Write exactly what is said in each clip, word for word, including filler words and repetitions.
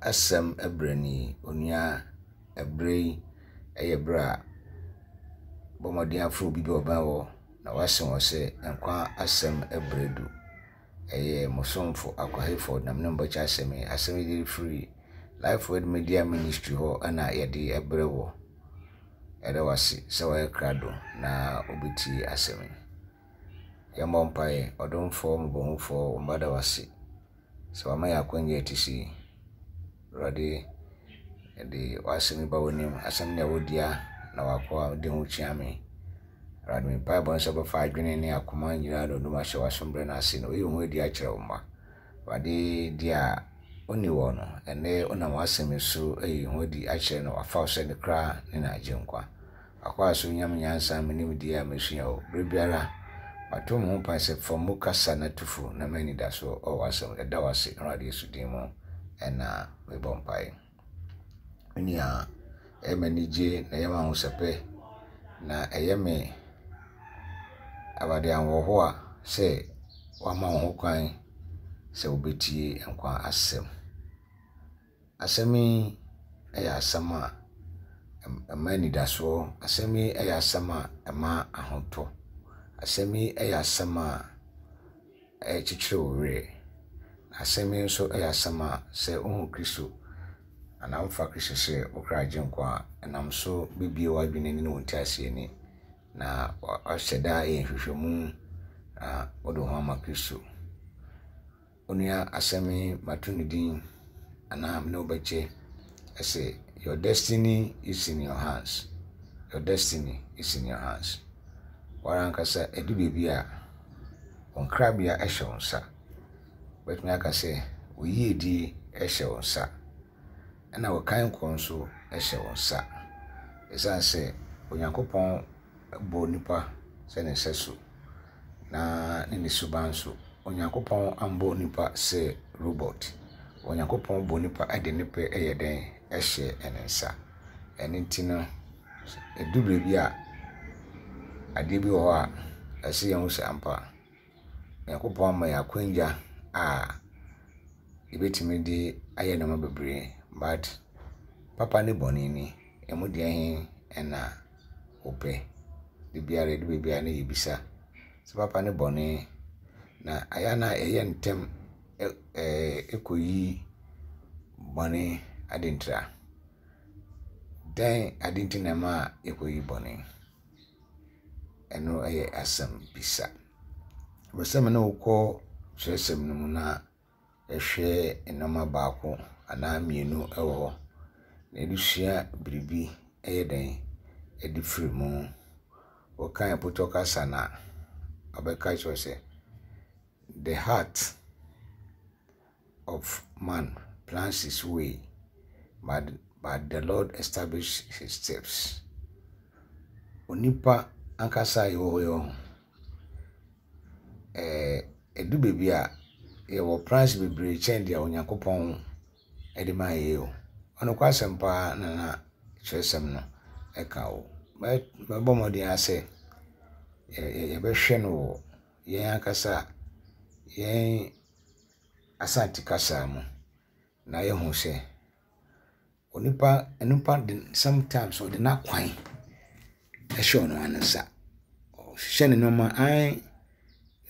Asɛm berɛ nie. Onua, ɛberɛ yi yɛ berɛ a bɔ mmɔden afrɛ obi bi a ɔbɛn wo na woase wɔn sɛ nkwa asɛm berɛ du. Ɛyɛ mo somfo Akwa Hayford na me ne mo bɛkyɛ asɛm yi. Asɛm yi de firi Life Word Media Ministry hɔ ɛna yɛde brɛ wɔ. Yɛda wo ase sɛ woayɛ krado na wobɛtie asɛm yi. Yɛmmɔ mpaeɛ. Ɔdomfoɔ mmɔborɔhunufoɔ, wo mma da wo ase sɛ wama yɛn akwanya a ɛte sei. Awurade, yɛde w'asɛm yi ba w'anim. Asɛm no yɛ wo dea na w'akoa de ho kyia me. Awurade, me mpaebɔ ne sɛ wobɛfa adwene ne akoma nyinaa na onum ahyɛ w'asomdwoe no ase na woyi wo ho adi akyerɛ wo mma. Awurade, deɛ a ɔnni wɔ no, ɛnnɛ wonam w'asɛm yi so ayi ho adi akyerɛ no, wafa wo sɛ ne kra ne n'agyenkwa. W'akoa so nya me nyansa me nimdeɛ a mesua wo. Berɛ biara, mato me ho kwan sɛ fa mu kasa na tu fo na ma anidasoɔ wɔ w'asɛm. Yɛda wo ase Awurade Yesu din mu ɛna mebɔ mpaeɛ. Me nua, ɛyɛ me anigye na ɛyɛ me ahosɛpɛ na ɛyɛ me Awurade ahoɔhoa sɛ wama wo ho kwan sɛ wobɛtie nkwa asɛm. Asɛm yi yɛ asɛm a ɛma anidasoɔ. Asɛm yi yɛ asɛm a ɛma ahotɔ. Asɛm yi yɛ asɛm a ɛkyekyere wo werɛ. Asɛm yi nso yɛ asɛm a sɛ wohu Kristo anaa wofa Kristo sɛ wo kra agyenkwa a, ɛnam so bɛbue w'adwene ne wo nteaseɛ ani na wahyɛ da ayɛ nhwehwɛmu na wode wo ho ama Kristo. Onua, asɛm yi mato ne din anaa me ne wo bɛkyɛ ɛsɛ your destiny is in your hands. Your destiny is in your hands. Woara ankasa ɛdu baabi a wo nkrabea hyɛ wo nsa. Wobɛtumi aka sɛ wo yiedie hyɛ wo nsa ɛna wo kankɔ nso hyɛ wo nsa. Ɛsiane sɛ Onyankopɔn bɔɔ nipa sɛ ne sɛso na ne ne suban nso. Onyankopɔn ambɔ nipa sɛ robot. Onyankopɔn bɔ nipa de ne pɛ yɛ dɛn hyɛ ne nsa. Ɛno nti no, ɛdu baabi a adeɛ bi wɔ hɔ a ɛsɛ yɛhu sɛ ampa Onyankopɔn ama yɛn akwanya a yɛbɛtumi de ayɛ nneɛma bebree but papa ne bɔne ni, ɛmu deɛ he ɛna wopɛ. Da biara ɛdu baabi a na yɛbisa sɛ papa ne bɔne na ayɛ a na ɛyɛ ntɛm ɛkɔyi bɔne ade ntira. Dɛn ade nti na ɛma yɛkɔyi bɔne? Ɛno yɛ asɛm bisa. Mepɛ sɛ me ne wo kɔ twerɛsɛm no mu na yɛhwɛ nneɛma baako anaa mmienu wɔ hɔ na yɛde sua biribi ɛyɛ dɛn ɛde firi mu. Wɔka Pɔtɔ kasa na ɔbɛka kyerɛ sɛ the heart of man plans his way, but, but the Lord establish his steps. Onipa ankasa a yɛwɔ hɔ yi, ɛɛ ɛdu baabi a yɛwɔ plans bebree kyɛn deɛ Onyankopɔn de maa yɛn o. Ɔnokwasɛm paa na na kyerɛsɛm no ɛka o. Mɛbɔ mmɔden ara sɛ yɛbɛhwɛ no wɔ yɛn ankasa yɛn Asante kasa mu na yɛhu sɛ onipa onipa de sometimes ɔde n'akwan ɛhyɛ ɔno ara ne nsa. Ɔhyehyɛ ne nneɛma ae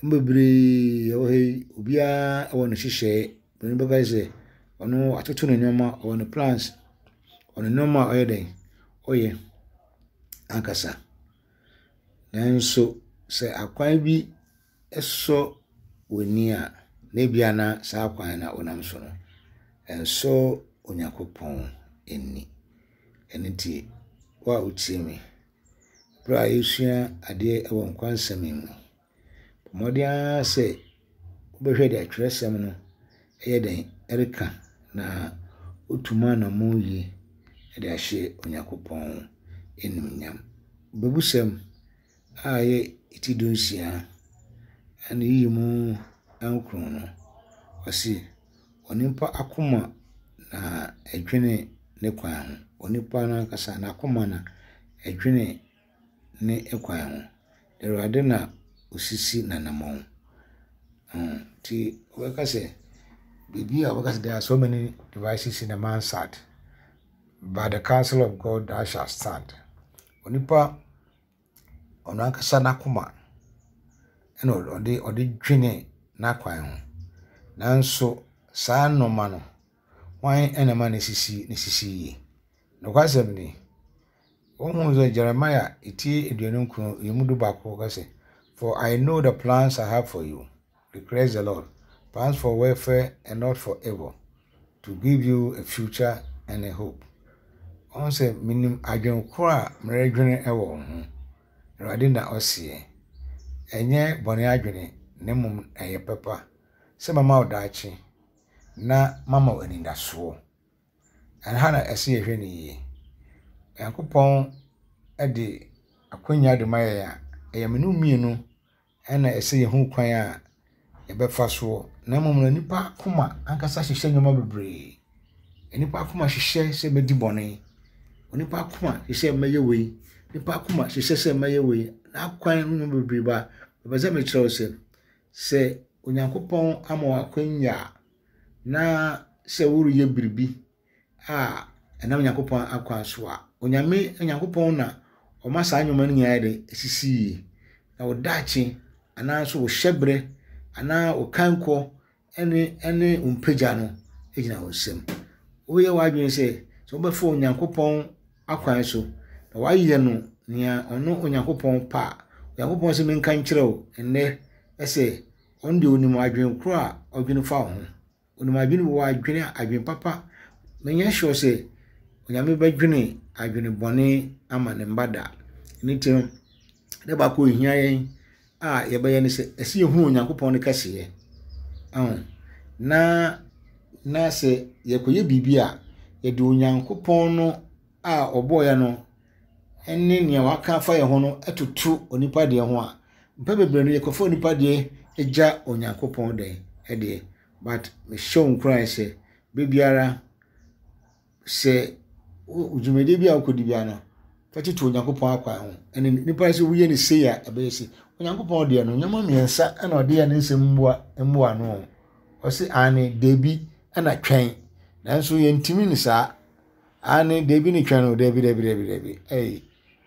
bebree ɛwɔ ha yi, obiara wɔ ne nhyehyɛeɛ. Obi bɛka sɛ ɔno watoto ne nneɛma, ɔwɔ ne plans, ɔwɔ ne nneɛma a ɔyɛ dɛn ɔyɛ ankasa. Nanso sɛ akwan bi sɔ w'ani a, na ebia na saa kwan no a wonam so no, ɛnsɔ Onyankopɔn ani. Ɛno nti, wo a wotie me, berɛ a yɛresua adeɛ wɔ nkwa nsɛm yi mu, bɔ mmɔden ara sɛ wobɛhwɛ deɛ atwerɛsɛm no ɛyɛ dɛn ɛreka na wotu mu anammɔn yie de ahyɛ Onyankopɔn animuonyam. Bebusɛm a ɛyɛ ti dunsia ɛne yiyi mu nkron no, ɔse onipa akoma na ɛdwene ne kwan ho. Onipa no ankasa n'akoma na ɛdwene ne kwan ho. Awurade na osisi n'anammɔn. Nti wɔbɛka sɛ Biribi a wɔbɛka sɛ there are so many devices in a man's heart, but the counsel of God that shall stand. Onipa ɔno ankasa n'akoma ɛna ɔde ɔde dwene n'akwan ho. Nanso saa nneɛma no, hwan ɛna ɛma ne sisi ne sisi yie? Nokwasɛm ni, wohu sɛ Jeremiah eti aduonu nkron emu du baako ka sɛ, For I know the plans I have for you, declares the Lord, plans for welfare and not for evil, to give you a future and a hope. Ɔhu sɛ minim adwene koro a meredwene wɔ wo ho. Awurade na ɔseɛ. Ɛnyɛ bɔne adwene na mmom ɛyɛ pɛpa sɛ mama wo daakye na mama wo anidasoɔ. Ɛha na ɛsɛ yɛhwɛ no yie. Nyankopɔn de akwannya de ma yɛn a, ɛyɛ me ne wo mmienu ɛna ɛsɛ yɛhu kwan a yɛbɛfa soɔ. Na mmom no nipa akoma ankasa hyehyɛ nneɛma bebree. Nipa akoma hyehyɛ sɛ mɛdi bɔne. Onipa akoma hyehyɛ mɛyɛ wei. Nipa akoma hyehyɛ sɛ mɛyɛ wei. N'akwan no nneɛma bebree ba. Mepɛ sɛ mekyerɛ wo sɛ, sɛ Onyankopɔn ama wo akwannya a, na sɛ woreyɛ biribi a ɛnam Onyankopɔn akwan so a, Onyame Onyankopɔn na ɔma saa nneɛma no nyinaa yɛ dɛ esisi yie. Na wo daakye anaa nso wo hyɛberɛ anaa wo kankɔ ɛne ɛne wo mpagya no gyina wo nsam. Woyɛ w'adwene sɛ sɛ wobɛfa Onyankopɔn akwan so na woayɛ no nea ɔno Onyankopɔn pɛ a, Onyankopɔn sɛ menka nkyerɛ wo nnɛ ɛsɛ ɔno deɛ onim adwene koro a ɔdwene fa wo ho. Onim adwene wɔ adwene adwene papa. Menyɛ sure sɛ Onyame bɛdwene adwene bɔne ama ne mba da. Ne nti no, ne baako a ehia yɛn a yɛbɛyɛ ne sɛ ɛsɛ yɛhunu Onyankopɔn ne kɛseyɛ. Ɔho. Na na sɛ yɛkɔyɛ biribi a, yɛde Onyankopɔn no a ɔbɔɔ yɛn no ne nea waka afa yɛn ho no toto onipa deɛ ho a, mpɛn bebree no yɛkɔfa onipa deɛ gya Onyankopɔn deɛ ɛdeɛ. But mehyɛ wo nkuran sɛ beebiara sɛ wo dwumadie bi a wokɔdi biara no, fa toto Onyankopɔn akwan ho. Ɛne nipa sɛ woyɛ no sei a ɛbɛyɛ sei. Onyankopɔn deɛ no, nneɛma mmiɛnsa ɛna ɔde yɛ ne nsɛm mmoa mmoa no. Ɔse aane, dabi ɛna twɛn. Nanso yɛntumi ne saa. Aane, dabi ne twɛn no, dabi dabi dabi dabi. Ɛyi,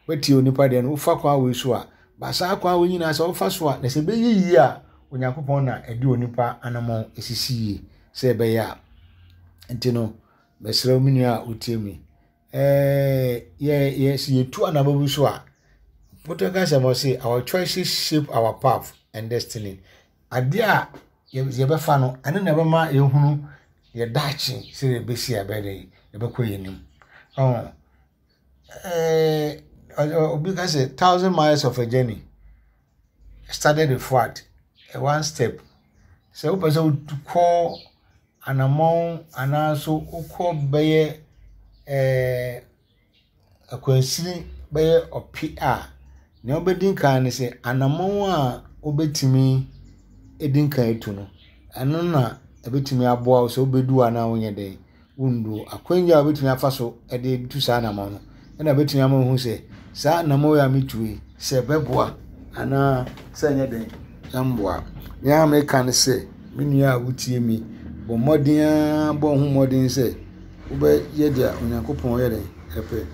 wetie onipa deɛ no, wofa kwan wei so a, ba saa kwan wei nyinaa sɛ wofa so a, na sɛ ɛbɛyɛ yie a, Onyankopɔn na ɛde onipa anammɔn esisi yie sɛ ɛbɛyɛ a. Nti no, mesrɛ wo me nua a wotie mi. Ɛɛ yɛ yɛ sɛ yɛtu anammɔn bi so a, Pɔtɔ sɛm ɔse our choices shape our path and destiny. Adeɛ a yɛbɛfa no, ɛno na ɛbɛma yɛhunu yɛ daakye sɛ yɛbɛsi a ɛbɛyɛ dɛ yɛbɛkɔ yɛn anim. Ɔn ɛɛ obi ka sɛ thousand miles of a journey started with what? One step. Sɛ wopɛ sɛ wokɔ anammɔn anaa so wokɔ bɛyɛ ɛɛ akwansini bɛyɛ ɔpe a, nea wobɛdi nkan ne sɛ anammɔn a wobɛtumi edi nkan atu no, ɛno na ɛbɛtumi aboa wo sɛ wobɛdu anaa wonyɛ dɛn wondu. Akwannya a wobɛtumi afa so de tu saa anammɔn no, ɛna ɛbɛtumi ama woahu sɛ saa anammɔn yi a metu yi, sɛ ɛbɛboa anaa sɛ ɛnyɛ dɛn ɛmboa. Nea meka ne sɛ, me nua a wotie mi, bɔ mmɔden ara bɔ wo ho mmɔden sɛ wobɛyɛ deɛ Onyankopɔn yɛ dɛn ɛpɛ.